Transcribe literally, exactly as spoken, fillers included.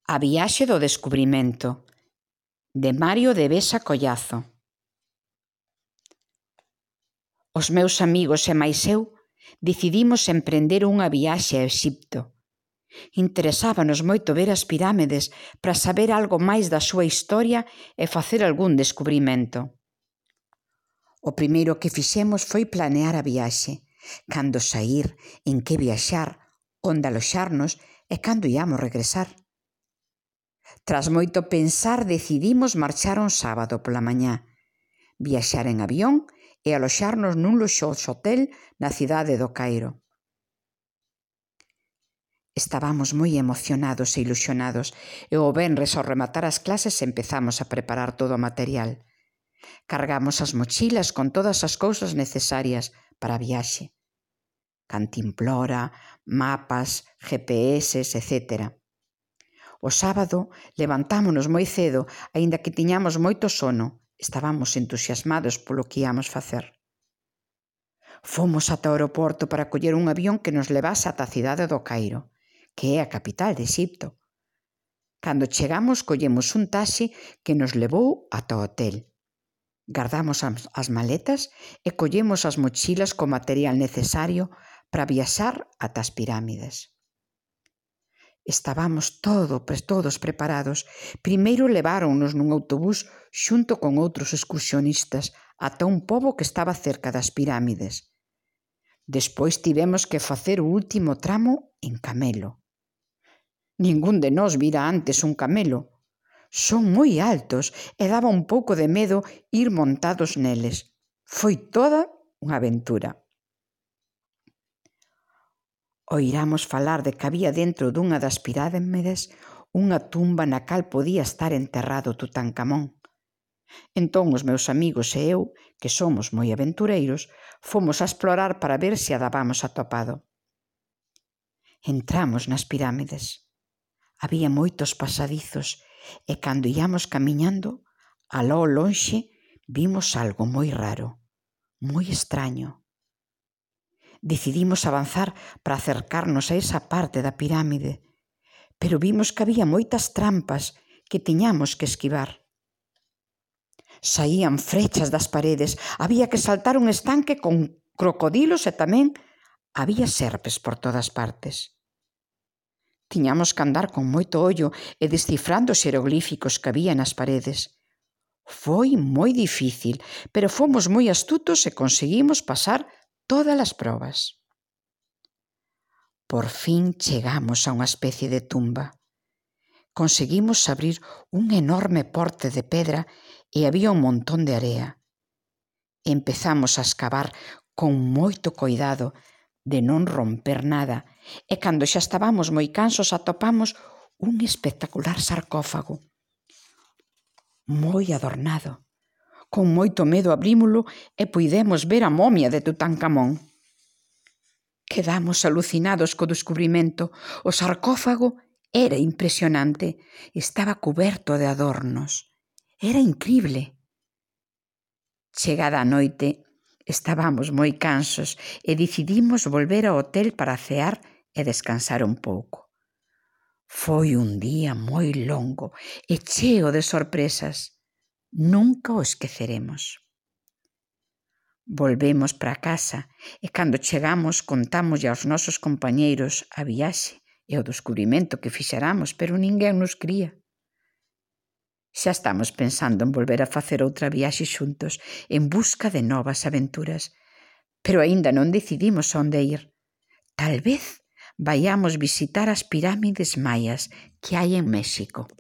A viaxe do descubrimento, de Mario de Besa Collazo. Os meus amigos e máis eu decidimos emprender unha viaxe a Exipto. Interesábanos moito ver as pirámides para saber algo máis da súa historia e facer algún descubrimento. O primeiro que fixemos foi planear a viaxe, cando saír, en que viaxar, onde aloxarnos e cando íamos regresar. Tras moito pensar, decidimos marchar un sábado pola mañá, viaxar en avión e aloxarnos nun luxoso hotel na cidade do Cairo. Estábamos moi emocionados e ilusionados e o venres ao rematar as clases empezamos a preparar todo o material. Cargamos as mochilas con todas as cousas necesarias para a viaxe. Cantimplora, mapas, G P S, etcétera. O sábado levantámonos moi cedo, aínda que tiñamos moito sono. Estábamos entusiasmados polo que íamos facer. Fomos ata o aeroporto para coller un avión que nos levase ata a cidade do Cairo, que é a capital de Exipto. Cando chegamos, collemos un taxi que nos levou ata o hotel. Gardamos as maletas e collemos as mochilas co material necesario para viaxar ata as pirámides. Estábamos todo, todos preparados. Primeiro leváronnos nun autobús xunto con outros excursionistas ata un pobo que estaba cerca das pirámides. Despois tivemos que facer o último tramo en camelo. Ningún de nós vira antes un camelo. Son moi altos e daba un pouco de medo ir montados neles. Foi toda unha aventura. Oiramos falar de que había dentro dunha das pirámides unha tumba na cal podía estar enterrado Tutankamón. Entón os meus amigos e eu, que somos moi aventureiros, fomos a explorar para ver se a dábamos atopado. Entramos nas pirámides. Había moitos pasadizos e cando íamos camiñando, aló ao lonxe vimos algo moi raro, moi extraño. Decidimos avanzar para acercarnos a esa parte da pirámide, pero vimos que había moitas trampas que tiñamos que esquivar. Saían frechas das paredes, había que saltar un estanque con crocodilos e tamén había serpes por todas partes. Tiñamos que andar con moito ollo e descifrando os xeroglíficos que había nas paredes. Foi moi difícil, pero fomos moi astutos e conseguimos pasar todas as probas. Por fin chegamos a unha especie de tumba. Conseguimos abrir un enorme porte de pedra e había un montón de area. Empezamos a escavar con moito coidado de non romper nada e cando xa estábamos moi cansos atopamos un espectacular sarcófago, moi adornado. Con moito medo abrímolo e puidemos ver a momia de Tutankamón. Quedamos alucinados co descubrimento. O sarcófago era impresionante. Estaba cuberto de adornos. Era incrible. Chegada a noite, estábamos moi cansos e decidimos volver ao hotel para cear e descansar un pouco. Foi un día moi longo e cheo de sorpresas. Nunca o esqueceremos. Volvemos para casa e cando chegamos contámoslle aos nosos compañeiros a viaxe e o descubrimento que fixeramos, pero ninguén nos cría. Xa estamos pensando en volver a facer outra viaxe xuntos en busca de novas aventuras, pero aínda non decidimos onde ir. Tal vez vaiamos visitar as pirámides maias que hai en México.